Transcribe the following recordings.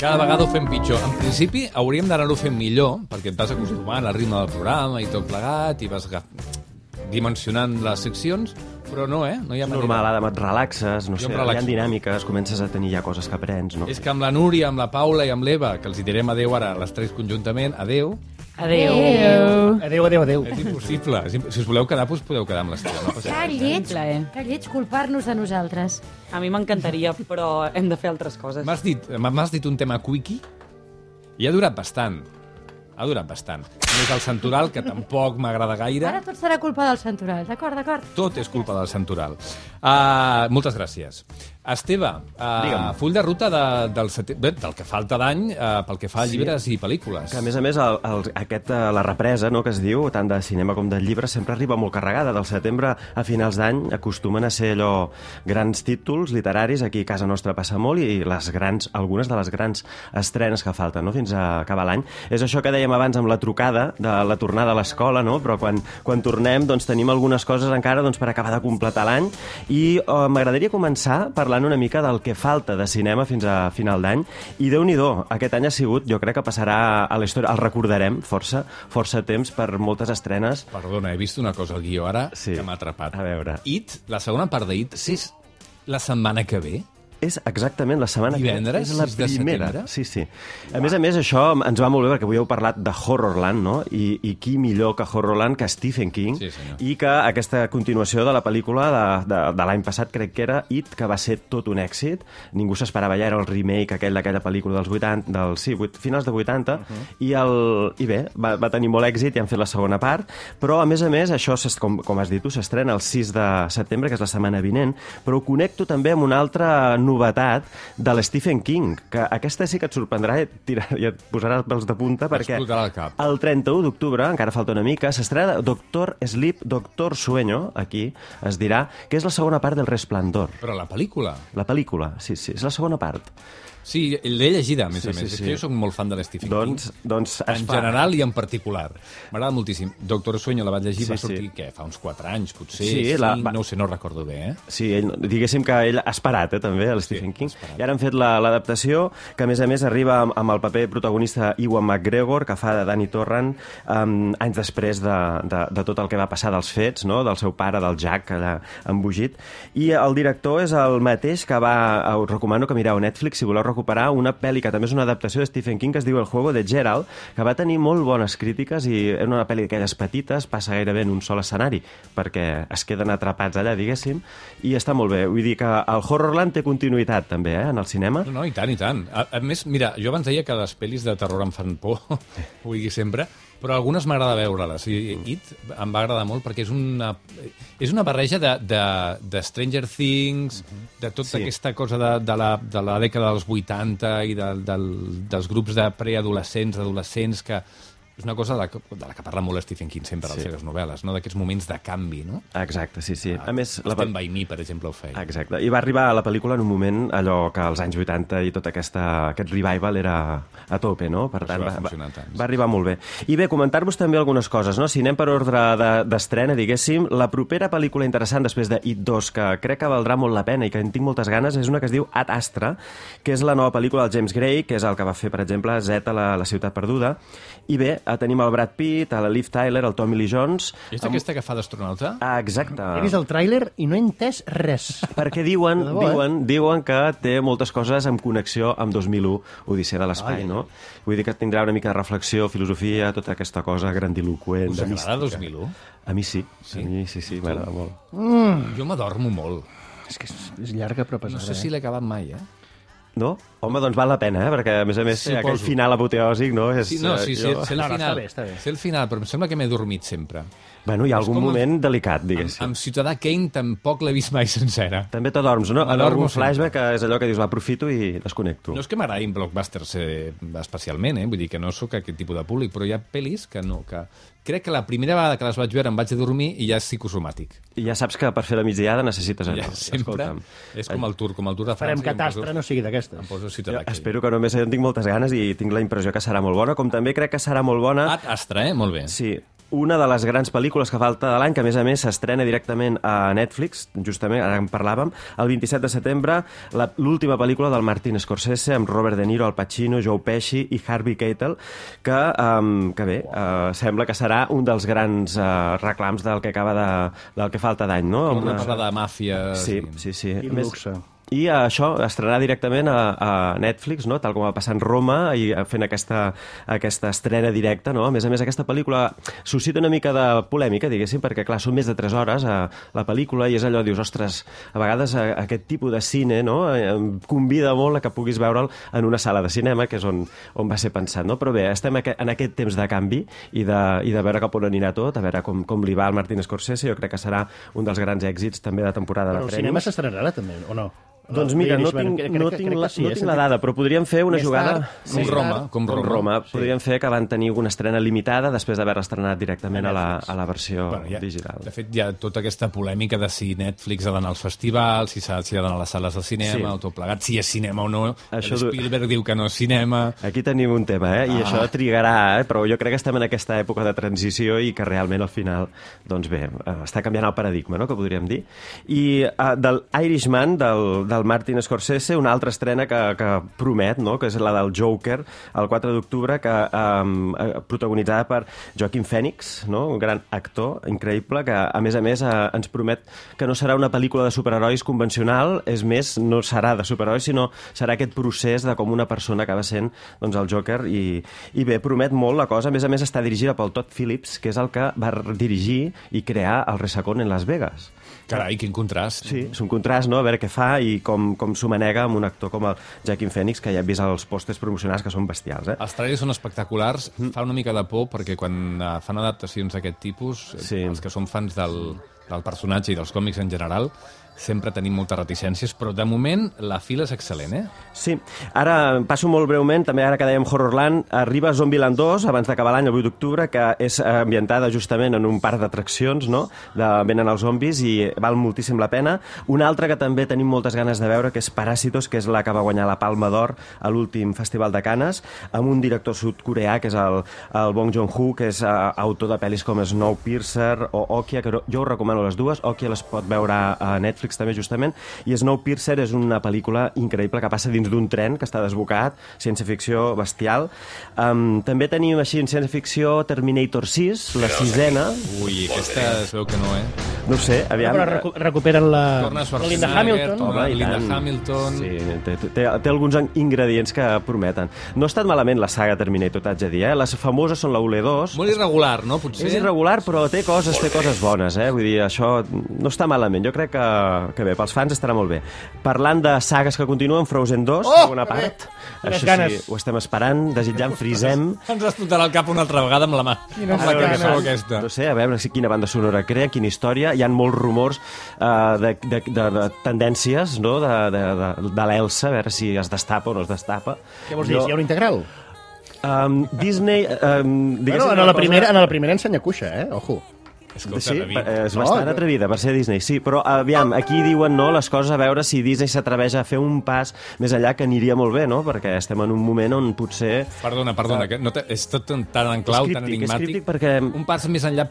Cada vegada ho fem pitjor. En principi, hauríem d'anar-ho fent millor, perquè et vas acostumant al ritme del programa i tot plegat, i vas dimensionant les seccions, però no, no hi ha manera. Normal, Adam, et relaxes, no sé, hi ha dinàmiques, comences a tenir ja coses que aprens, no? És que amb la Núria, amb la Paula i amb l'Eva, que els hi direm adéu ara, les tres conjuntament, adéu. Adéu. Adéu. És impossible. Si us voleu quedar, doncs podeu quedar amb l'estiu. No? Que lleig culpar-nos de nosaltres. A mi m'encantaria, però hem de fer altres coses. M'has dit un tema quickie i ha durat bastant. Més el Santoral, que tampoc m'agrada gaire. Ara tot serà culpa del Santoral. D'acord. Tot és culpa del Santoral. Moltes gràcies. Esteve, full de ruta del que falta d'any pel que fa a llibres i pel·lícules. Que, a més, la represa, no, que es diu, tant de cinema com de llibres, sempre arriba molt carregada. Del setembre a finals d'any acostumen a ser allò grans títols literaris. Aquí a casa nostra passa molt i algunes de les grans estrenes que falten, no?, fins a acabar l'any. És això que dèiem abans amb la trucada de la tornada a l'escola, no? Però quan tornem doncs, tenim algunes coses encara per acabar de completar l'any i m'agradaria començar parlant una mica del que falta de cinema fins a final d'any i Déu-n'hi-do, aquest any ha sigut, jo crec que passarà a la història, el recordarem força temps per moltes estrenes. Perdona, he vist una cosa al guió ara que m'ha atrapat. A veure. It, la segona part d'It, és la setmana que ve? És exactament la setmana Divendres, que és la 6 de primera. setembre? Sí. A més, això ens va molt bé perquè avui heu parlat de Horrorland, no? I qui millor que Horrorland que Stephen King, i que aquesta continuació de la pel·lícula de l'any passat, crec que era It, que va ser tot un èxit. Ningú s'esperava ja, era el remake d'aquella pel·lícula dels 80, finals de 80, i bé, va tenir molt èxit i han fet la segona part, però a més, això, com has dit tu, s'estrena el 6 de setembre, que és la setmana vinent, però ho connecto també amb una altra novetat de l'Stephen King, que aquesta sí que et sorprendrà i et posarà els pèls de punta, perquè el 31 d'octubre, encara falta una mica, s'estrena Doctor Sleep, Doctor Sueño, aquí es dirà, que és la segona part del Resplendor. Però la pel·lícula? La pel·lícula, sí, és la segona part. Sí, l'he llegida, a més a més. És que jo soc molt fan de l'Stephen King. En general i en particular. M'agrada moltíssim. Doctor Sueño la vaig llegir, va sortir, què, fa uns 4 anys, potser? No ho sé, no recordo bé, Sí, diguéssim que ell ha esperat, també, l'Stephen King. I ara han fet l'adaptació, que a més arriba amb el paper protagonista Ewan McGregor, que fa de Danny Torrance, anys després de tot el que va passar dels fets, no?, del seu pare, del Jack, allà embogit. I el director és el mateix que us recomano que mireu a Netflix, si voleu recuperar una pel·li que també és una adaptació de Stephen King que es diu El juego de Gerald, que va tenir molt bones crítiques i és una pel·li d'aquelles petites, passa gairebé en un sol escenari perquè es queden atrapats allà, diguéssim, i està molt bé. Vull dir que el Horrorland té continuïtat també, en el cinema. No, i tant. A més, mira, jo abans deia que les pel·lis de terror em fan por, ho digui sempre, però algunes m'agrada veure-les. It em va agradar molt perquè és una barreja de Stranger Things, de tota aquesta cosa de la dècada dels 80 i dels grups de preadolescents, adolescents, que és una cosa de la que parla molt Stephen King sempre a les seves novel·les, no? D'aquests moments de canvi, no? Exacte, sí. A més, Stand By Me, per exemple, ho feia. Exacte. I va arribar a la pel·lícula en un moment allò que als anys 80 i tot aquest revival era a tope, no? Per tant, va arribar molt bé. I bé, comentar-vos també algunes coses, no? Si anem per ordre d'estrena, diguéssim, la propera pel·lícula interessant després de It 2, que crec que valdrà molt la pena i que en tinc moltes ganes, és una que es diu Ad Astra, que és la nova pel·lícula del James Gray, que és el que va fer, per exemple, Z, la ciutat perduda. I bé, tenim el Brad Pitt, la Liv Tyler, el Tommy Lee Jones... És aquesta que fa d'astronauta? Exacte. He vist el tràiler i no he entès res. Perquè diuen que té moltes coses en connexió amb 2001, Odissea de l'Espai, no? Vull dir que tindrà una mica de reflexió, filosofia, tota aquesta cosa grandiloqüent. Us agrada 2001? A mi sí. A mi sí, m'agrada molt. Jo m'adormo molt. És que és llarga, però pesada. No sé si l'he acabat mai, No? Home, doncs val la pena, perquè a més aquell final apoteòsic, no? Sí, sé el final, però em sembla que m'he dormit sempre. Bueno, hi ha algun moment delicat, diguéssim. Amb Ciutadà Kane tampoc l'he vist mai sencera. També t'adorms, no? En algun flashback és allò que dius, l'aprofito i desconnecto. No és que m'agradin blockbusters especialment, vull dir que no sóc aquest tipus de públic, però hi ha pel·lis que no, que crec que la primera vegada que les vaig veure em vaig a dormir i ja és psicosomàtic. I ja saps que per fer la migdiada necessites allò. Sempre. És com el tour de França. Farem catàstre, no sigui d'aquestes. Em poso Ciutadà Kane. Espero que només en tinc moltes ganes i tinc la impressió que serà molt bona, com també crec que serà molt bona... Ad Astra, molt bé. Sí. una de les grans pel·lícules que falta de l'any, que a més s'estrena directament a Netflix, justament, ara en parlàvem, el 27 de setembre, l'última pel·lícula del Martin Scorsese, amb Robert De Niro, Al Pacino, Joe Pesci i Harvey Keitel, que bé, sembla que serà un dels grans reclams del que falta d'any, no? Una parla de màfia... Sí. I luxe. I això estrenarà directament a Netflix, no? Tal com va passar en Roma, i fent aquesta estrena directa, no? A més, aquesta pel·lícula suscita una mica de polèmica, diguéssim, perquè, clar, són més de 3 hores la pel·lícula, i és allò, dius, ostres, a vegades aquest tipus de cine, no?, convida molt a que puguis veure'l en una sala de cinema, que és on va ser pensat, no? Però bé, estem en aquest temps de canvi i de veure cap on anirà tot, a veure com li va al Martin Scorsese. Jo crec que serà un dels grans èxits també de temporada de premis. Però el cinema s'estrenarà ara també, o no? Doncs mira, no tinc la dada, però podríem fer una jugada... Com Roma. Podríem fer que van tenir una estrena limitada després d'haver-la estrenat directament a la versió digital. De fet, hi ha tota aquesta polèmica de si Netflix ha d'anar als festivals, si ha d'anar a les sales de cinema, o tot plegat, si és cinema o no. Spielberg diu que no és cinema... Aquí tenim un tema, i això trigarà, però jo crec que estem en aquesta època de transició i que realment al final, doncs bé, està canviant el paradigma, no?, que podríem dir. I del Irishman, del Martin Scorsese, una altra estrena que promet, no?, que és la del Joker, el 4 d'octubre, protagonitzada per Joaquin Phoenix, no?, un gran actor increïble, que a més ens promet que no serà una pel·lícula de superherois convencional, és més, no serà de superherois, sinó serà aquest procés de com una persona acaba sent, doncs, el Joker, i bé, promet molt la cosa. A més està dirigida pel Todd Phillips, que és el que va dirigir i crear el Resacón en Las Vegas. Carai, quin contrast. Sí, és un contrast, no?, a veure què fa i com s'ho manega amb un actor com el Joaquin Phoenix, que ja hem vist els pòsters promocionals, que són bestials, Els trailers són espectaculars, fa una mica de por, perquè quan fan adaptacions d'aquest tipus, els que són fans del personatge i dels còmics en general, sempre tenim moltes reticències, però de moment la fila és excel·lent, Sí. Ara, passo molt breument, també ara que dèiem Horrorland, arriba Zombieland 2, abans d'acabar l'any, el 8 d'octubre, que és ambientada justament en un parc d'atraccions, no?, venen els zombis, i val moltíssim la pena. Una altra que també tenim moltes ganes de veure, que és Parásitos, que és la que va guanyar la Palma d'Or a l'últim Festival de Canes, amb un director sud-coreà, que és el Bong Joon-ho, que és autor de pel·lis com Snowpiercer o Okja, que jo us recomano les dues. Okja les pot veure a Netflix també, justament, i Snowpiercer és una pel·lícula increïble que passa dins d'un tren que està desbocat, ciència-ficció bestial. També tenim així en ciència-ficció Terminator 6, la 6ena. Ui, aquesta es veu que no, No ho sé, aviam... Però recuperen la Linda Hamilton. Home, Linda Hamilton... Sí, té alguns ingredients que prometen. No ha estat malament la saga Terminator, t'haig de dir, Les famoses són la 1 i 2. Molt irregular, no, potser? És irregular, però té coses bones, Vull dir, això no està malament. Jo crec que bé, pels fans estarà molt bé. Parlant de sagues que continuen, Frozen 2, segona part. Això sí, ho estem esperant, desitjant, frisem. Ens explotarà el cap una altra vegada amb la mà. Amb la cançó aquesta. No sé, a veure quina banda sonora crea, quina història. Hi ha molts rumors de tendències, no?, de l'Elsa, a veure si es destapa o no es destapa. Què vols dir? Si hi ha un integral? Disney... En la primera ensenya cuixa, Ojo. Escolta, sí, és bastant atrevida per ser Disney, sí, però aviam, aquí diuen les coses, a veure si Disney s'atreveix a fer un pas més enllà, que aniria molt bé, no?, perquè estem en un moment on potser... Perdona, que no és tot tan en clau, tan enigmàtic. Perquè... Un pas més enllà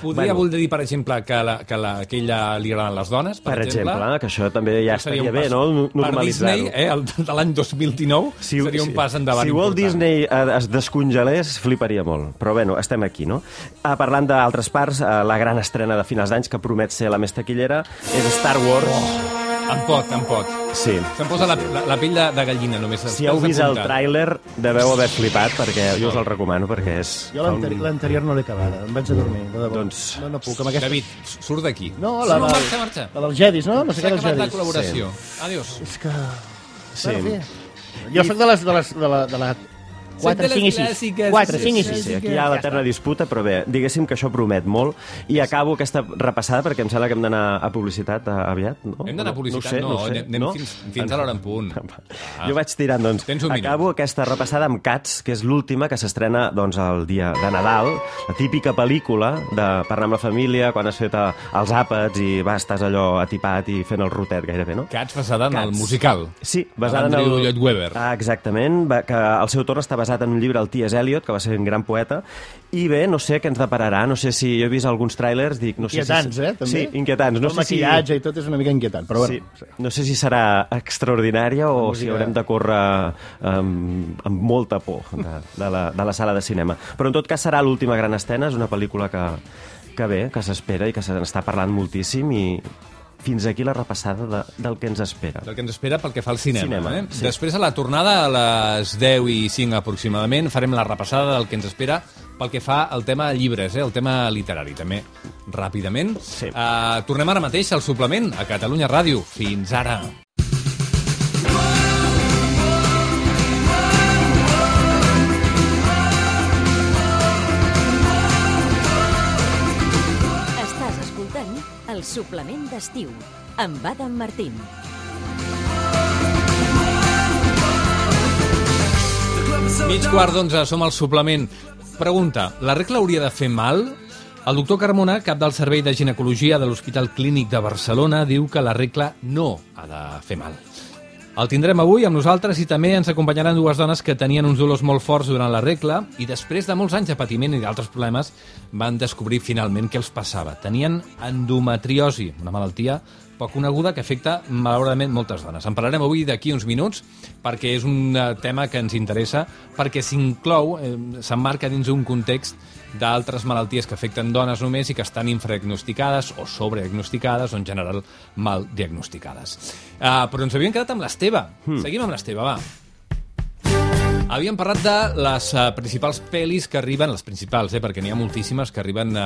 podria voler dir, per exemple, que a ella li agraden les dones, per exemple, que això també ja estaria bé, no?, normalitzar-ho. Per Disney, de l'any 2019, seria un pas endavant important. Si Walt Disney es descongelés, fliparia molt, però bueno, estem aquí, no? Parlant d'altres parts, la gran estrena de finals d'anys, que promet ser la més taquillera, és Star Wars. Em pot. Sí. Se'm posa la pell de gallina, només. Si heu vist el tràiler, deveu haver flipat, perquè jo us el recomano, perquè és... Jo l'anterior no l'he acabada, em vaig a dormir, de debò. Doncs... No puc, amb aquesta... David, surt d'aquí. No, marxa. La dels Jedis, no? No sé què dels Jedis. S'ha acabat la col·laboració. Adiós. És que... Sí. Jo soc de la 4, 5 i 6. 4, 5 i 6. Sí, aquí hi ha l'eterna disputa, però bé, diguéssim que això promet molt. I acabo aquesta repassada, perquè em sembla que hem d'anar a publicitat aviat, no? Hem d'anar a publicitat? No, anem fins a l'hora en punt. Jo vaig tirant, doncs. Acabo aquesta repassada amb Cats, que és l'última, que s'estrena el dia de Nadal, la típica pel·lícula de parlar amb la família, quan has fet els àpats i estàs allò atipat i fent el rotet gairebé, no? Cats basada en el musical. Sí, basada en Andrew Lloyd Webber. Exactament, que al seu torn està basada basat en un llibre del T.S. Eliot, que va ser un gran poeta, i bé, no sé què ens depararà, no sé si jo he vist alguns tràilers, dic... No sé inquietants, també? Sí, inquietants. El maquillatge i tot és una mica inquietant, però bueno. Sí. No sé si serà extraordinària o si haurem de córrer amb molta por de la sala de cinema. Però en tot cas serà l'última gran escena, és una pel·lícula que bé, que s'espera i que se n'està parlant moltíssim i fins aquí la repassada del que ens espera. Del que ens espera pel que fa al cinema. Sí. Després, a la tornada, a les 10:05 aproximadament, farem la repassada del que ens espera pel que fa al tema llibres, el tema literari, també, ràpidament. Sí. Tornem ara mateix al suplement, a Catalunya Ràdio. Fins ara. El suplement d'estiu, amb Adam Martín. Mig quart d'11, som al suplement. Pregunta, la regla hauria de fer mal? El doctor Carmona, cap del Servei de Ginecologia de l'Hospital Clínic de Barcelona, diu que la regla no ha de fer mal. El tindrem avui amb nosaltres i també ens acompanyaran dues dones que tenien uns dolors molt forts durant la regla i després de molts anys de patiment i d'altres problemes van descobrir finalment què els passava. Tenien endometriosi, una malaltia poc coneguda que afecta malauradament moltes dones. En parlarem avui d'aquí uns minuts perquè és un tema que ens interessa, perquè s'inclou, s'emmarca dins un context d'altres malalties que afecten dones només i que estan infradiagnosticades o sobrediagnosticades o en general mal diagnosticades. Però ens havíem quedat amb l'Esteve. Seguim amb l'Esteve, va. Havíem parlat de les principals pel·lis que arriben, les principals, perquè n'hi ha moltíssimes que arriben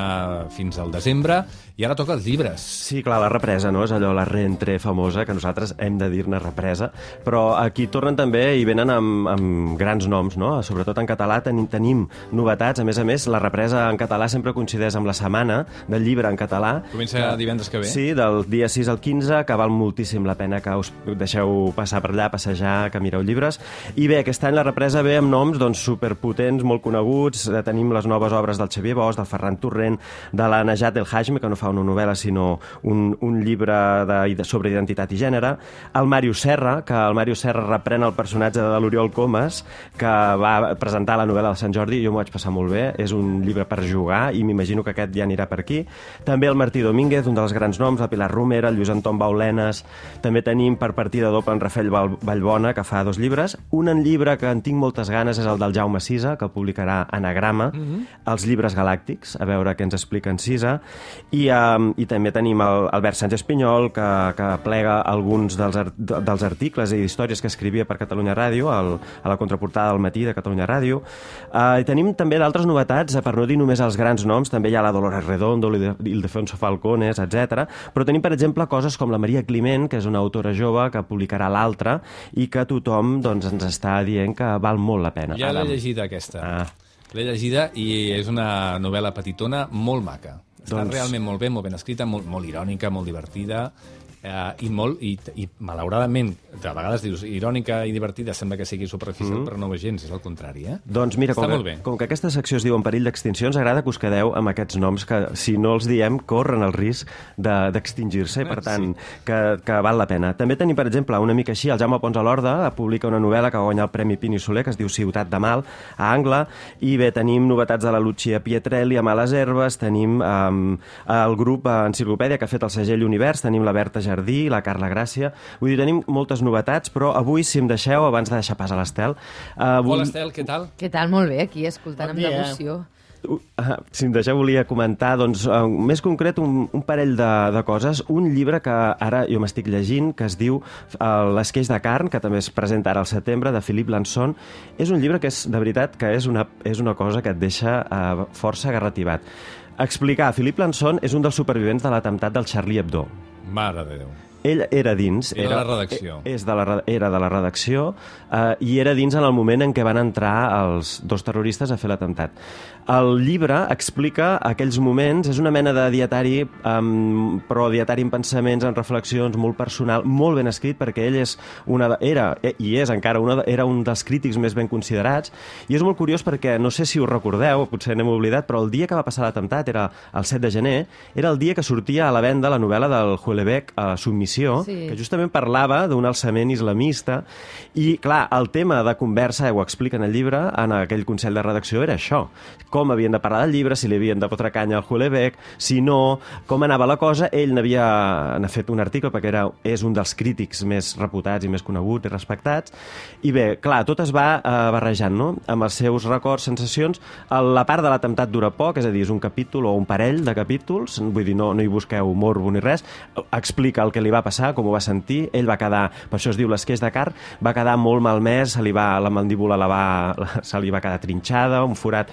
fins al desembre, i ara toca els llibres. Sí, clar, la represa, no? És allò, la reentrée famosa, que nosaltres hem de dir-ne represa, però aquí tornen també i venen amb grans noms, no? Sobretot en català tenim novetats, a més, la represa en català sempre coincideix amb la setmana del llibre en català. Comença divendres que ve. Sí, del dia 6 al 15, que val moltíssim la pena que us deixeu passar per allà, passejar, que mireu llibres. I bé, aquest any la represa ve amb noms superpotents, molt coneguts. Tenim les noves obres del Xavier Bosch, del Ferran Torrent, de la Najat El Hajmi, que no fa una novel·la, sinó un llibre sobre identitat i gènere. El Màrius Serra, que el Màrius Serra reprèn el personatge de l'Oriol Comas, que va presentar la novel·la de Sant Jordi, jo m'ho vaig passar molt bé. És un llibre per jugar i m'imagino que aquest ja anirà per aquí. També el Martí Domínguez, un dels grans noms, la Pilar Romera, el Lluís Anton Baulenes. També tenim per partida doble en Rafael Vallbona, que fa 2 llibres. Un llibre que en tinc moltes ganes és el del Jaume Sisa, que publicarà Anagrama, els llibres galàctics, a veure què ens explica en Sisa. I també tenim el Albert Sánchez Pinyol, que plega alguns dels articles i històries que escrivia per Catalunya Ràdio, a la contraportada del Matí de Catalunya Ràdio. I tenim també d'altres novetats, per no dir només els grans noms, també hi ha la Dolores Redondo, l'Ildefonso Falcones, etc. Però tenim, per exemple, coses com la Maria Climent, que és una autora jove que publicarà l'Altra i que tothom ens està dient que val molt la pena. Ja l'he llegida, aquesta. L'he llegida i és una novel·la petitona molt maca. Està realment molt ben escrita, molt irònica, molt divertida, i malauradament, de vegades dius irònica i divertida, sembla que sigui superficial, però no ho és gens, és el contrari, Doncs mira, com que aquesta secció es diu En perill d'extinció, ens agrada que us quedeu amb aquests noms que, si no els diem, corren el risc d'extingir-se, i per tant, que val la pena. També tenim, per exemple, una mica així, el Jaume Pons a l'Horda publica una novel·la que va guanyar el Premi Pini Soler, que es diu Ciutat de Mal, a Angla, i bé, tenim novetats de la Lucia Pietrelli a Males Herbes, tenim el grup Enciclopèdia, que ha fet el segell Univers, tenim la Berta Jardí, la Carla Gràcia. Vull dir, tenim moltes novetats, però avui, si em deixeu, abans de deixar pas a l'Estel... Hola, Estel, què tal? Què tal? Molt bé, aquí, escoltant amb devoció. Si em deixeu, volia comentar, doncs, més concret, un parell de coses. Un llibre que ara jo m'estic llegint, que es diu L'Esqueix de carn, que també es presenta ara al setembre, de Philippe Lançon. És un llibre que, de veritat, que és una cosa que et deixa força agarrativat. Explicar, Philippe Lançon és un dels supervivents de l'atemptat del Charlie Hebdo. Mare de Déu. Ell era dins. Era de la redacció. Era de la redacció i era dins en el moment en què van entrar els 2 terroristes a fer l'atemptat. El llibre explica aquells moments, és una mena de dietari, però dietari en pensaments, en reflexions, molt personal, molt ben escrit, perquè ell era un dels crítics més ben considerats, i és molt curiós perquè, no sé si us recordeu, potser n'hem oblidat, però el dia que va passar l'atemptat, era el 7 de gener, era el dia que sortia a la venda la novel·la del Houellebecq, Submissió, Inquisició, que justament parlava d'un alçament islamista, i, clar, el tema de conversa, ho explica en el llibre, en aquell consell de redacció, era això. Com havien de parlar del llibre, si li havien de fotre canya al Houellebecq, si no, com anava la cosa. Ell n'ha fet un article, perquè és un dels crítics més reputats i més coneguts i respectats, i bé, clar, tot es va barrejant, no?, amb els seus records, sensacions. La part de l'atemptat dura poc, és a dir, és un capítol o un parell de capítols, vull dir, no hi busqueu morbo ni res, explica el que li va passar, com ho va sentir. Ell va quedar, per això es diu l'esqueix de car, va quedar molt malmès, la mandíbula se li va quedar trinxada, un forat,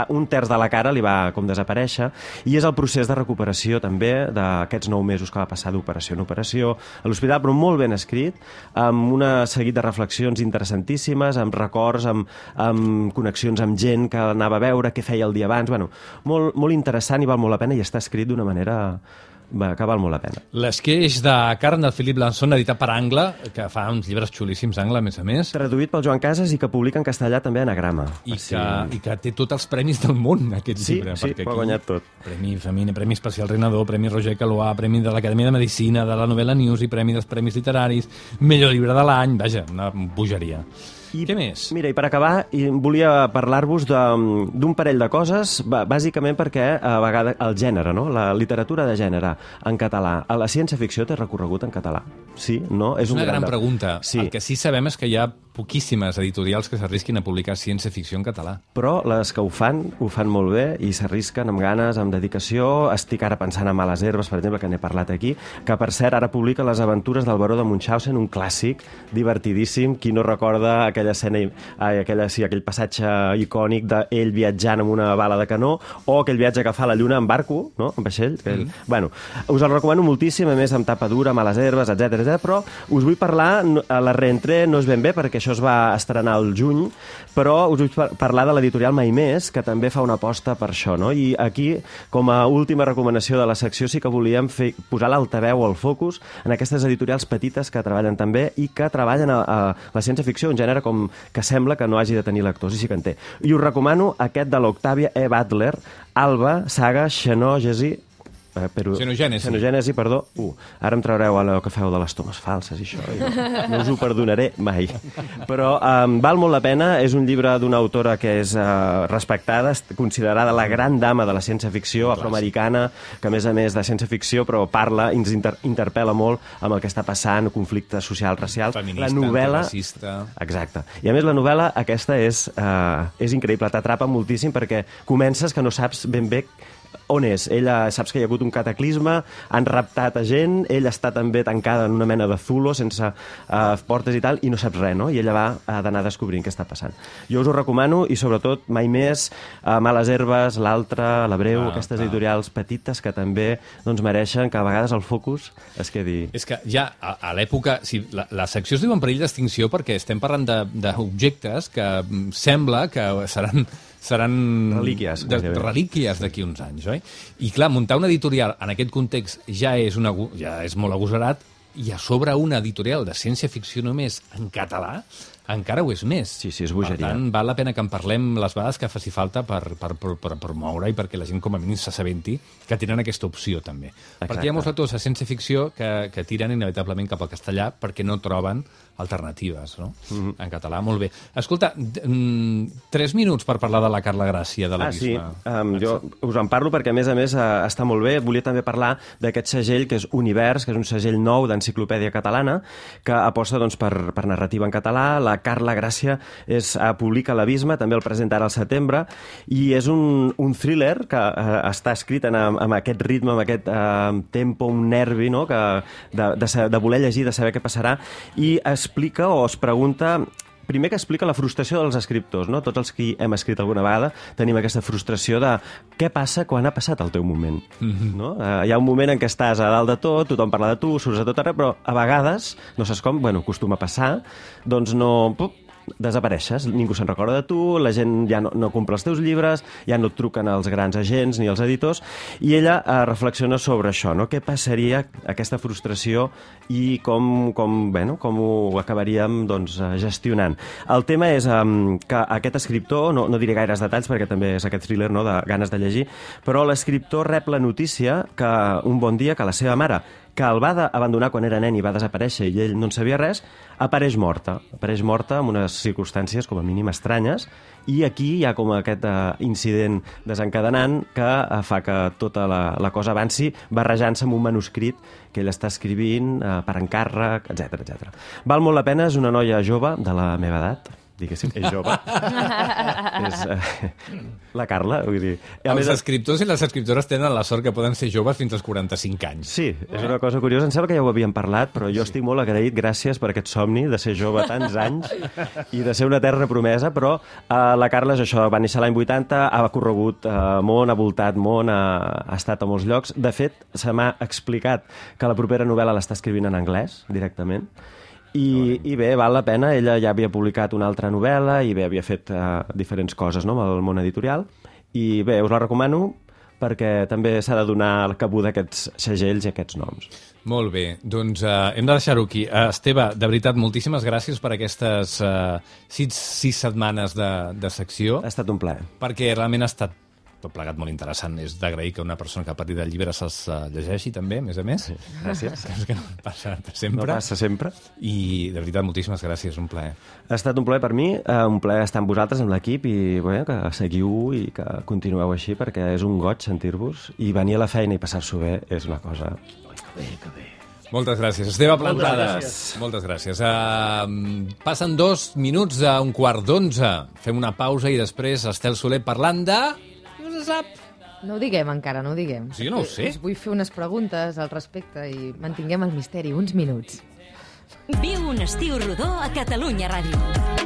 un terç de la cara li va com desaparèixer, i és el procés de recuperació també d'aquests 9 mesos que va passar d'operació en operació a l'hospital, però molt ben escrit, amb un seguit de reflexions interessantíssimes, amb records, amb connexions amb gent que anava a veure, què feia el dia abans. Bueno, molt interessant i val molt la pena, i està escrit d'una manera que val molt la pena. L'esqueix de carn del Philippe Lançon, editat per Angle, que fa uns llibres xulíssims, Angle, a més. Traduït pel Joan Casas i que publica en castellà també a Anagrama. I que té tots els premis del món, aquest llibre. Sí, ho ha guanyat tot. Premi Femina, Premi Especial Renador, Premi Roger Calois, Premi de l'Acadèmia de Medicina, de la Novel·la News i Premi dels Premis Literaris, millor llibre de l'any, vaja, una bogeria. I què més? Mira, i per acabar, volia parlar-vos d'un parell de coses, bàsicament perquè a vegades el gènere, no?, la literatura de gènere en català, a la ciència-ficció té recorregut en català? Sí? No? És una gran pregunta. Sí. El que sí sabem és que hi ha poquíssimes editorials que s'arrisquin a publicar ciència-ficció en català. Però les que ho fan molt bé i s'arrisquen amb ganes, amb dedicació. Estic ara pensant en Males herbes, per exemple, que n'he parlat aquí, que per cert ara publica Les aventures del baró de Munchausen, un clàssic divertidíssim. Qui no recorda aquella escena, aquell passatge icònic d'ell viatjant amb una bala de canó, o aquell viatge que fa a la Lluna en barco, no?, en vaixell. Bueno, us el recomano moltíssim, a més amb tapa dura, Males herbes, etc. Però us vull parlar, a la reentré no és ben bé, perquè això es va estrenar al juny, però us vull parlar de l'editorial Mai Més, que també fa una aposta per això, no? I aquí, com a última recomanació de la secció, sí que volíem posar l'altaveu o el focus en aquestes editorials petites que treballen també i que treballen a la ciència-ficció, un gènere com que sembla que no hagi de tenir lectors, i sí que en té. I us recomano aquest de l'Octavia E. Butler, Alba, saga Xenogènesi, Xenogènesi, perdó. Ara em traureu allò que feu de les tomes falses i això, no us ho perdonaré mai. Però val molt la pena, és un llibre d'una autora que és respectada, considerada la gran dama de la ciència-ficció afroamericana, que a més de ciència-ficció, però parla i ens interpel·la molt amb el que està passant, conflictes socials, racials. Feminista, antiracista. Exacte. I a més la novel·la aquesta és increïble, t'atrapa moltíssim perquè comences que no saps ben bé on és. Ella saps que hi ha hagut un cataclisme, han raptat a gent, ella està també tancada en una mena de zulo, sense portes i tal, i no saps res, no? I ella ha d'anar descobrint què està passant. Jo us ho recomano, i sobretot Mai Més, Males herbes, l'altre, La Breu, aquestes editorials petites que també mereixen que a vegades el focus es quedi... És que ja a l'època... La secció es diu en perill d'extinció perquè estem parlant d'objectes que sembla que seran relíquies d'aquí uns anys, oi? I clar, muntar una editorial en aquest context ja és molt agosarat, i a sobre una editorial de ciència-ficció només en català encara ho és més. Sí, és bogeria. Per tant, val la pena que en parlem les vegades que faci falta per promoure i perquè la gent com a mínim s'assabenti que tenen aquesta opció també. Exacte. Perquè hi ha molts lectors de ciència-ficció que tiren inevitablement cap al castellà perquè no troben alternatives, no? En català, molt bé. Escolta, 3 minuts per parlar de la Carla Gràcia, de l'Abisme. Sí, jo us en parlo perquè, a més, està molt bé. Volia també parlar d'aquest segell que és Univers, que és un segell nou d'enciclopèdia catalana, que aposta per narrativa en català. La Carla Gràcia publica l'Abisme, també el presenta ara al setembre, i és un thriller que està escrit amb aquest ritme, amb aquest tempo, un nervi, no?, de voler llegir, de saber què passarà, i explica o es pregunta... Primer que explica la frustració dels escriptors, no? Tots els que hem escrit alguna vegada tenim aquesta frustració de què passa quan ha passat el teu moment, no? Hi ha un moment en què estàs a dalt de tot, tothom parla de tu, surts a tot arreu, però a vegades, no saps com, acostuma a passar, doncs desapareixes, ningú se'n recorda de tu, la gent ja no compra els teus llibres, ja no et truquen els grans agents ni els editors, i ella reflexiona sobre això, no? Què passaria aquesta frustració i com ho acabaríem gestionant. El tema és que aquest escriptor, no diré gaires detalls perquè també és aquest thriller, no?, de ganes de llegir, però l'escriptor rep la notícia que un bon dia que la seva mare, que el va abandonar quan era nen i va desaparèixer i ell no en sabia res, apareix morta en unes circumstàncies com a mínim estranyes, i aquí hi ha com aquest incident desencadenant que fa que tota la cosa avanci barrejant-se amb un manuscrit que ell està escrivint per encàrrec, etc. Val molt la pena, és una noia jove de la meva edat, diguéssim, és jove. És la Carla, vull dir. Els escriptors i les escriptores tenen la sort que poden ser joves fins als 45 anys. Sí, és una cosa curiosa. Em sembla que ja ho havíem parlat, però jo estic molt agraït, gràcies per aquest somni de ser jove tants anys i de ser una eterna promesa, però la Carla és això, va néixer l'any 80, ha corregut món, ha voltat món, ha estat a molts llocs. De fet, se m'ha explicat que la propera novel·la l'està escrivint en anglès, directament. I bé, val la pena, ella ja havia publicat una altra novel·la i bé, havia fet diferents coses, no?, amb el món editorial, i bé, us la recomano perquè també s'ha de donar cabuda a aquests segells i a aquests noms. Molt bé, doncs hem de deixar-ho aquí. Esteve, de veritat, moltíssimes gràcies per aquestes 6 setmanes de secció. Ha estat un plaer. Perquè realment ha estat tot plegat molt interessant. És d'agrair que una persona que ha patit el llibre se'ls llegeixi també, a més a més. Sí, gràcies. Que no passa sempre. No passa sempre. I, de veritat, moltíssimes gràcies, un plaer. Ha estat un plaer per mi, un plaer estar amb vosaltres, amb l'equip, i bé, que seguiu i que continueu així, perquè és un goig sentir-vos, i venir a la feina i passar-s'ho bé és una cosa... Que bé. Moltes gràcies. Esteve Plantades. Moltes gràcies. Passen 2 minuts a 11:15. Fem una pausa i després Estel Soler parlant de... No se sap. No ho diguem encara, no ho diguem. Sí, no ho sé. Us vull fer unes preguntes al respecte i mantinguem el misteri uns minuts. Viu un estiu rodó a Catalunya Ràdio.